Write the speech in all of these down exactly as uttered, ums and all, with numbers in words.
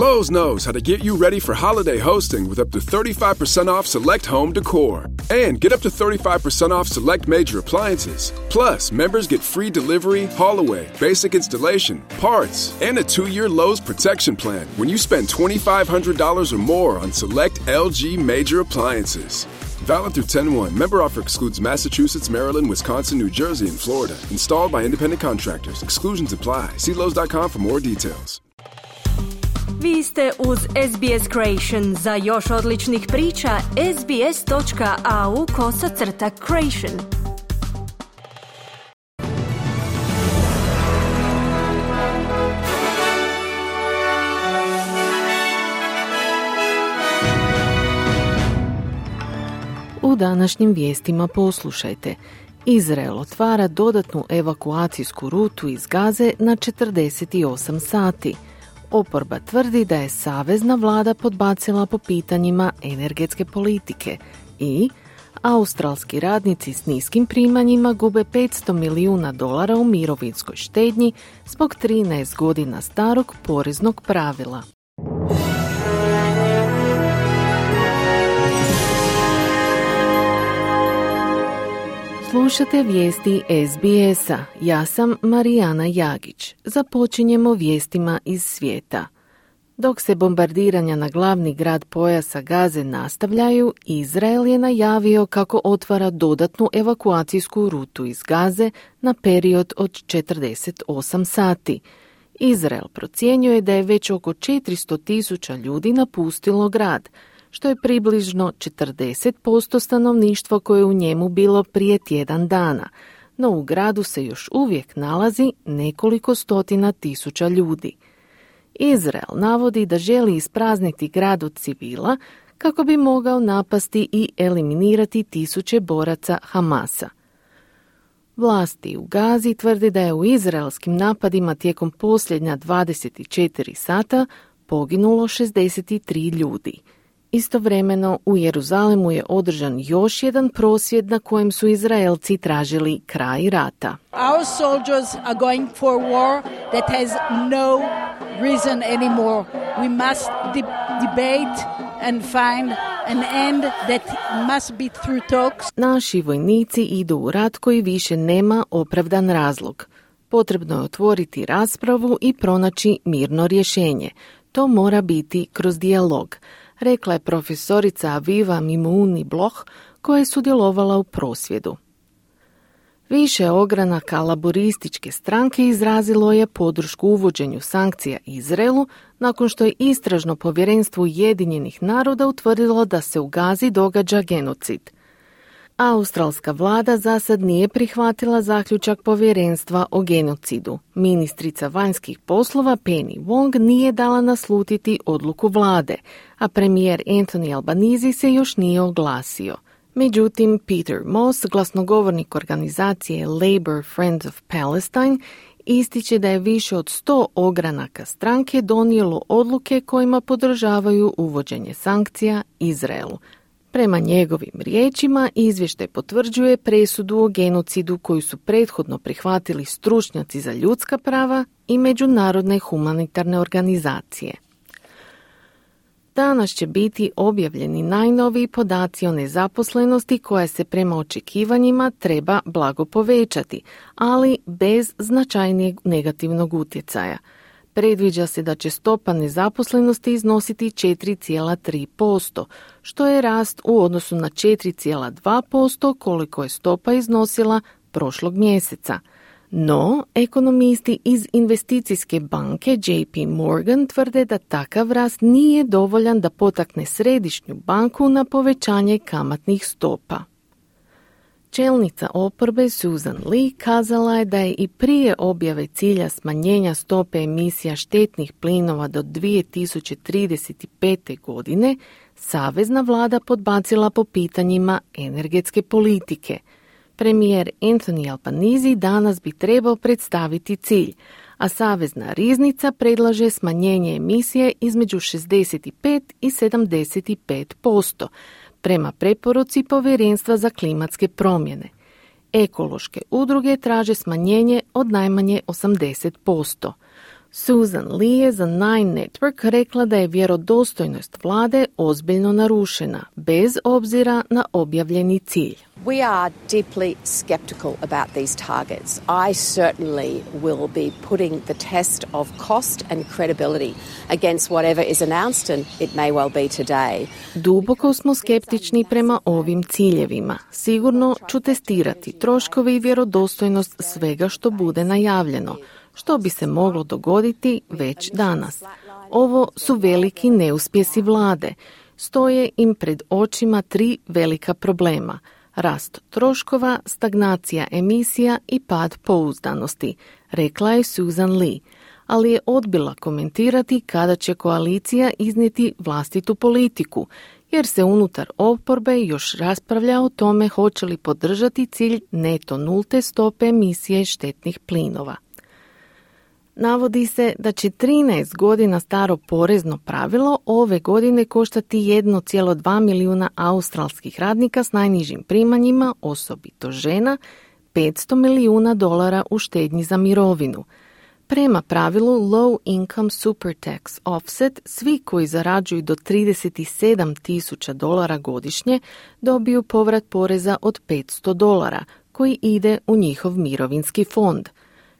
Lowe's knows how to get you ready for holiday hosting with up to thirty-five percent off select home decor. And get up to thirty-five percent off select major appliances. Plus, members get free delivery, haul away, basic installation, parts, and a two-year Lowe's protection plan when you spend twenty-five hundred dollars or more on select L G major appliances. Valid through ten one. Member offer excludes Massachusetts, Maryland, Wisconsin, New Jersey, and Florida. Installed by independent contractors. Exclusions apply. See Lowe's dot com for more details. Vi ste uz S B S Creation. Za još odličnih priča, sbs.au kosacrta Creation. U današnjim vijestima poslušajte. Izrael otvara dodatnu evakuacijsku rutu iz Gaze na četrdeset osam sati. Oporba tvrdi da je savezna vlada podbacila po pitanjima energetske politike i australski radnici s niskim primanjima gube petsto milijuna dolara u mirovinskoj štednji zbog trinaest godina starog poreznog pravila. Slušate vijesti S B S-a. Ja sam Marijana Jagić. Započinjemo vijestima iz svijeta. Dok se bombardiranja na glavni grad pojasa Gaze nastavljaju, Izrael je najavio kako otvara dodatnu evakuacijsku rutu iz Gaze na period od četrdeset osam sati. Izrael procjenjuje da je već oko četiristo tisuća ljudi napustilo grad, što je približno četrdeset posto stanovništva koje je u njemu bilo prije tjedan dana, no u gradu se još uvijek nalazi nekoliko stotina tisuća ljudi. Izrael navodi da želi isprazniti grad od civila kako bi mogao napasti i eliminirati tisuće boraca Hamasa. Vlasti u Gazi tvrde da je u izraelskim napadima tijekom posljednja dvadeset četiri sata poginulo šezdeset tri ljudi. Istovremeno u Jeruzalemu je održan još jedan prosvjed na kojem su Izraelci tražili kraj rata. Our soldiers are going for war that has no reason anymore. We must de- debate and find an end that must be through talks. Naši vojnici idu u rat koji više nema opravdan razlog. Potrebno je otvoriti raspravu i pronaći mirno rješenje. To mora biti kroz dijalog, rekla je profesorica Aviva Mimouni Bloch koja je sudjelovala u prosvjedu. Više ogranaka laborističke stranke izrazilo je podršku uvođenju sankcija Izraelu nakon što je istražno povjerenstvo Ujedinjenih naroda utvrdilo da se u Gazi događa genocid. Australska vlada za sad nije prihvatila zaključak povjerenstva o genocidu. Ministrica vanjskih poslova Penny Wong nije dala naslutiti odluku vlade, a premijer Anthony Albanese se još nije oglasio. Međutim, Peter Moss, glasnogovornik organizacije Labour Friends of Palestine, ističe da je više od sto ogranaka stranke donijelo odluke kojima podržavaju uvođenje sankcija Izraelu. Prema njegovim riječima, izvještaj potvrđuje presudu o genocidu koju su prethodno prihvatili stručnjaci za ljudska prava i međunarodne humanitarne organizacije. Danas će biti objavljeni najnoviji podaci o nezaposlenosti koja se prema očekivanjima treba blago povećati, ali bez značajnijeg negativnog utjecaja. Predviđa se da će stopa nezaposlenosti iznositi četiri zarez tri posto, što je rast u odnosu na četiri zarez dva posto koliko je stopa iznosila prošlog mjeseca. No, ekonomisti iz investicijske banke J P Morgan tvrde da takav rast nije dovoljan da potakne središnju banku na povećanje kamatnih stopa. Čelnica oporbe Susan Lee kazala je da je i prije objave cilja smanjenja stope emisija štetnih plinova do dvije tisuće trideset pete. godine savezna vlada podbacila po pitanjima energetske politike. Premijer Anthony Albanese danas bi trebao predstaviti cilj, a savezna riznica predlaže smanjenje emisije između šezdeset pet i sedamdeset pet posto, prema preporuci Povjerenstva za klimatske promjene. Ekološke udruge traže smanjenje od najmanje osamdeset posto. Susan Lee je za Nine Network rekla da je vjerodostojnost vlade ozbiljno narušena, bez obzira na objavljeni cilj. We are deeply skeptical about these targets. I certainly will be putting the test of cost and credibility against whatever is announced, and it may well be today. Duboko smo skeptični prema ovim ciljevima. Sigurno ću testirati troškove i vjerodostojnost svega što bude najavljeno, što bi se moglo dogoditi već danas. Ovo su veliki neuspjesi vlade. Stoje im pred očima tri velika problema: rast troškova, stagnacija emisija i pad pouzdanosti, rekla je Susan Lee, ali je odbila komentirati kada će koalicija iznijeti vlastitu politiku, jer se unutar oporbe još raspravlja o tome hoće li podržati cilj neto nulte stope emisije štetnih plinova. Navodi se da će trinaest godina staro porezno pravilo ove godine koštati jedan zarez dva milijuna australskih radnika s najnižim primanjima, osobito žena, petsto milijuna dolara u štednji za mirovinu. Prema pravilu Low Income Super Tax Offset, svi koji zarađuju do trideset sedam tisuća dolara godišnje dobiju povrat poreza od petsto dolara, koji ide u njihov mirovinski fond.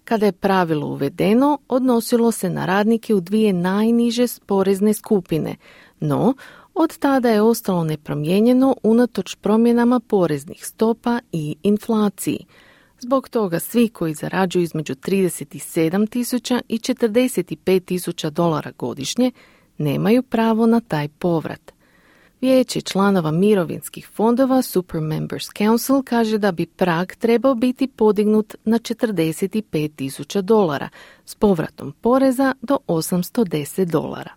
Kada je pravilo uvedeno, odnosilo se na radnike u dvije najniže porezne skupine, no od tada je ostalo nepromijenjeno unatoč promjenama poreznih stopa i inflaciji. Zbog toga svi koji zarađuju između trideset sedam tisuća i četrdeset pet tisuća dolara godišnje nemaju pravo na taj povrat. Vijeće članova mirovinskih fondova Super Members Council kaže da bi prag trebao biti podignut na četrdeset pet tisuća dolara s povratom poreza do osamsto deset dolara.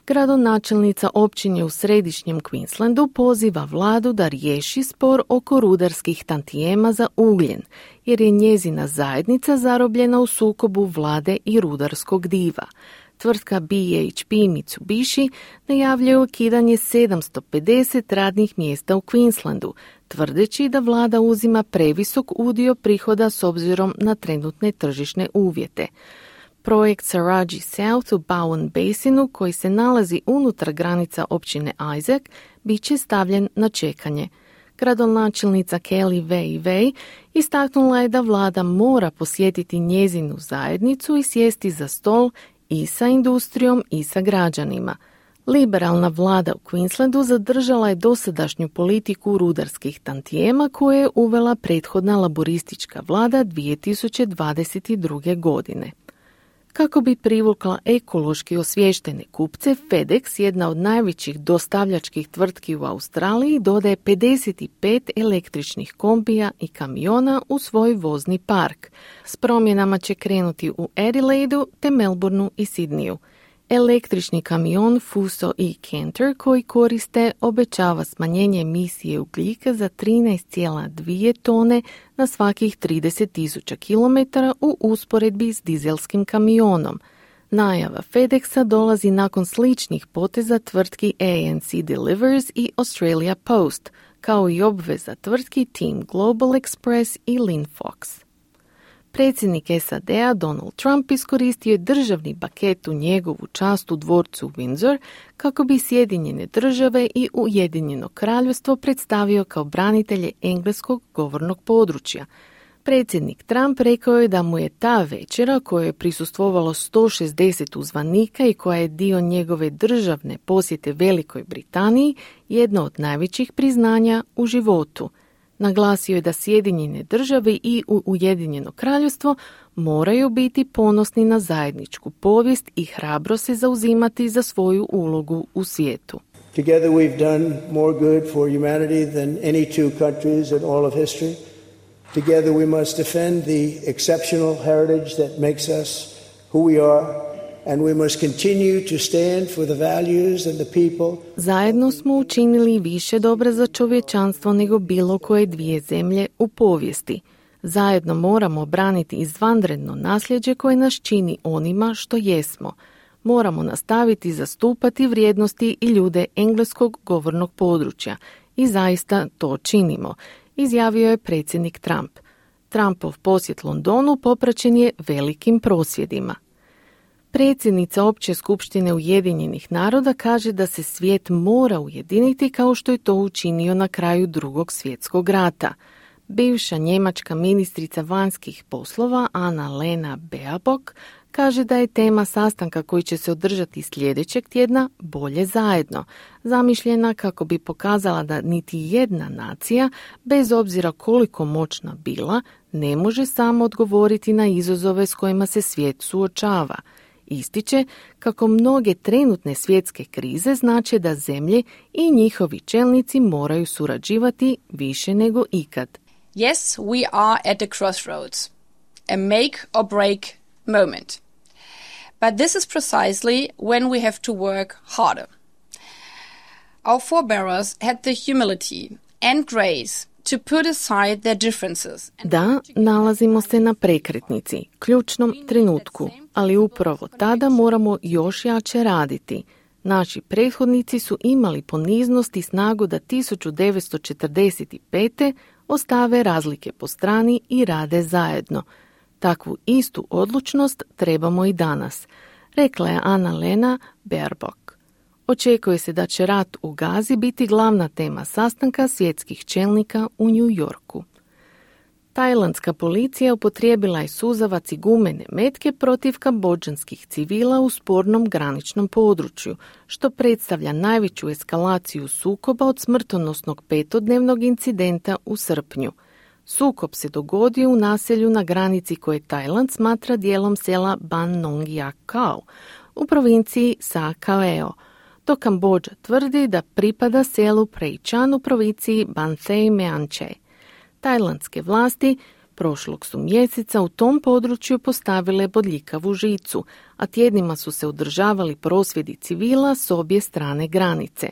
Gradonačelnica općine u središnjem Queenslandu poziva vladu da riješi spor oko rudarskih tantijema za ugljen, jer je njezina zajednica zarobljena u sukobu vlade i rudarskog diva. Tvrtka B H P Mitsubishi najavljuje ukidanje sedamsto pedeset radnih mjesta u Queenslandu, tvrdeći da vlada uzima previsok udio prihoda s obzirom na trenutne tržišne uvjete. Projekt Saraji South u Bowen Basinu, koji se nalazi unutar granica općine Isaac, bit će stavljen na čekanje. Gradonačelnica Kelly Wei Wei istaknula je da vlada mora posjetiti njezinu zajednicu i sjesti za stol i sa industrijom i sa građanima. Liberalna vlada u Queenslandu zadržala je dosadašnju politiku rudarskih tantijema koje je uvela prethodna laboristička vlada dvije tisuće dvadeset druge. godine. Kako bi privukla ekološki osviještene kupce, FedEx, jedna od najvećih dostavljačkih tvrtki u Australiji, dodaje pedeset pet električnih kombija i kamiona u svoj vozni park. S promjenama će krenuti u Adelaidu te Melbourneu i Sydneyu. Električni kamion Fuso i Canter koji koriste obećava smanjenje emisije ugljika za trinaest zarez dvije tone na svakih trideset tisuća kilometara u usporedbi s dizelskim kamionom. Najava FedExa dolazi nakon sličnih poteza tvrtki A N C Delivers i Australia Post, kao i obveza tvrtki Team Global Express i Linfox. Predsjednik S A D-a Donald Trump iskoristio je državni paket u njegovu čast u dvorcu Windsor kako bi Sjedinjene države i Ujedinjeno kraljevstvo predstavio kao branitelje engleskog govornog područja. Predsjednik Trump rekao je da mu je ta večera, kojoj je prisustvovalo sto šezdeset uzvanika i koja je dio njegove državne posjete Velikoj Britaniji, jedno od najvećih priznanja u životu. Naglasio je da Sjedinjene države i Ujedinjeno kraljevstvo moraju biti ponosni na zajedničku povijest i hrabro se zauzimati za svoju ulogu u svijetu. Together we've done more good for humanity than any two countries in all of history. Together we must defend the exceptional heritage that makes us who we are. And we must continue to stand for the values and the people. Zajedno smo učinili više dobra za čovječanstvo nego bilo koje dvije zemlje u povijesti. Zajedno moramo braniti izvanredno nasljeđe koje nas čini onima što jesmo. Moramo nastaviti zastupati vrijednosti i ljude engleskog govornog područja. I zaista to činimo, izjavio je predsjednik Trump. Trumpov posjet Londonu popraćen je velikim prosvjedima. Predsjednica Opće skupštine Ujedinjenih naroda kaže da se svijet mora ujediniti kao što je to učinio na kraju Drugog svjetskog rata. Bivša njemačka ministrica vanjskih poslova Anna-Lena Baerbock kaže da je tema sastanka koji će se održati sljedećeg tjedna bolje zajedno, zamišljena kako bi pokazala da niti jedna nacija, bez obzira koliko moćna bila, ne može samo odgovoriti na izazove s kojima se svijet suočava. Ističe kako mnoge trenutne svjetske krize znače da zemlje i njihovi čelnici moraju surađivati više nego ikad. Yes, we are at a crossroads, a make or break moment. But this is precisely when we have to work harder. Our forebears had the humility and grace to put aside their differences. Da, nalazimo se na prekretnici, ključnom trenutku, ali upravo tada moramo još jače raditi. Naši prethodnici su imali poniznost i snagu da tisuću devetsto četrdeset pete. ostave razlike po strani i rade zajedno. Takvu istu odlučnost trebamo i danas, rekla je Anna-Lena Baerbock. Očekuje se da će rat u Gazi biti glavna tema sastanka svjetskih čelnika u New Yorku. Tajlandska policija upotrijebila je suzavac i gumene metke protiv kambodžanskih civila u spornom graničnom području, što predstavlja najveću eskalaciju sukoba od smrtonosnog petodnevnog incidenta u srpnju. Sukob se dogodio u naselju na granici koje Tajland smatra dijelom sela Ban Nong Yak Kao u provinciji Sa Kaeo, dok Kambodža tvrdi da pripada selu Prejchan u provinciji Ban Thay Mean Chey. Tajlandske vlasti prošlog su mjeseca u tom području postavile bodljikavu žicu, a tjednima su se održavali prosvjedi civila s obje strane granice.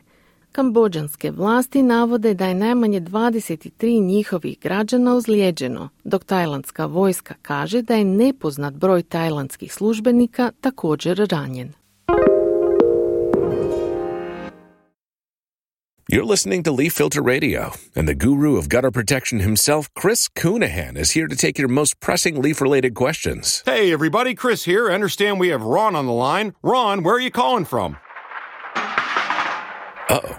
Kambodžanske vlasti navode da je najmanje dvadeset tri njihovih građana ozlijeđeno, dok tajlandska vojska kaže da je nepoznat broj tajlandskih službenika također ranjen. You're listening to Leaf Filter Radio, and the guru of gutter protection himself, Chris Coonahan, is here to take your most pressing leaf-related questions. Hey, everybody, Chris here. I understand we have Ron on the line. Ron, where are you calling from? Uh-oh.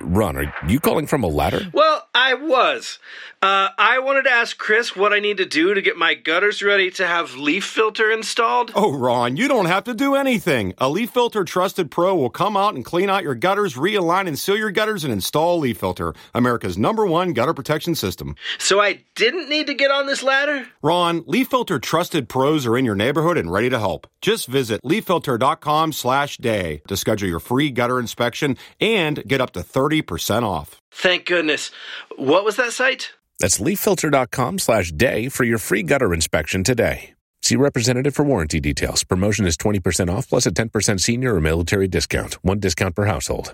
Ron, are you calling from a ladder? Well, I was. Uh, I wanted to ask Chris what I need to do to get my gutters ready to have Leaf Filter installed. Oh, Ron, you don't have to do anything. A Leaf Filter Trusted Pro will come out and clean out your gutters, realign and seal your gutters, and install Leaf Filter, America's number one gutter protection system. So I didn't need to get on this ladder? Ron, Leaf Filter Trusted Pros are in your neighborhood and ready to help. Just visit leaffilter.com slash day to schedule your free gutter inspection and get up to thirty percent off. Thank goodness. What was that site? That's leaffilter.com slash day for your free gutter inspection today. See representative for warranty details. Promotion is twenty percent off plus a ten percent senior or military discount. One discount per household.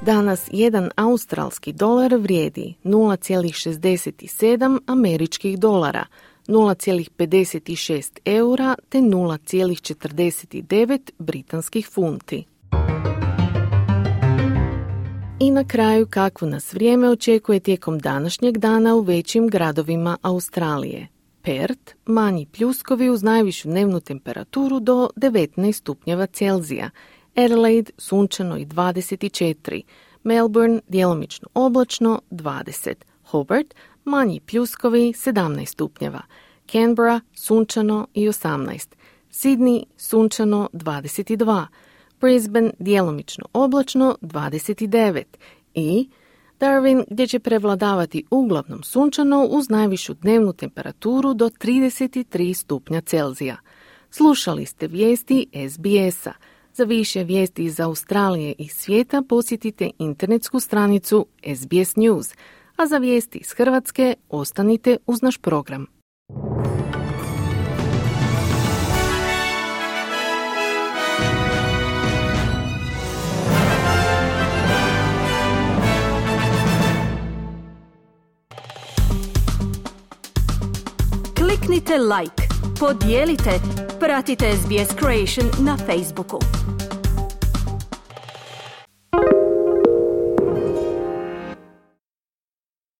Danas jedan australski dolar vrijedi nula zarez šezdeset sedam američkih dolara, nula zarez pedeset šest eura te nula zarez četrdeset devet britanskih funti. I na kraju kakvo nas vrijeme očekuje tijekom današnjeg dana u većim gradovima Australije. Perth, manji pljuskovi uz najvišu dnevnu temperaturu do devetnaest stupnjeva Celzija. Adelaide, sunčano i dvadeset četiri. Melbourne, djelomično oblačno, dvadeset. Hobart, manji pljuskovi, sedamnaest stupnjeva. Canberra, sunčano i osamnaest. Sydney, sunčano, dvadeset dva. Brisbane, djelomično oblačno, dvadeset devet. I Darwin, gdje će prevladavati uglavnom sunčano uz najvišu dnevnu temperaturu do trideset tri stupnja Celzija. Slušali ste vijesti S B S-a. Za više vijesti iz Australije i svijeta posjetite internetsku stranicu S B S News, a za vijesti iz Hrvatske ostanite uz naš program. Kliknite like, podijelite, pratite S B S Creation na Facebooku.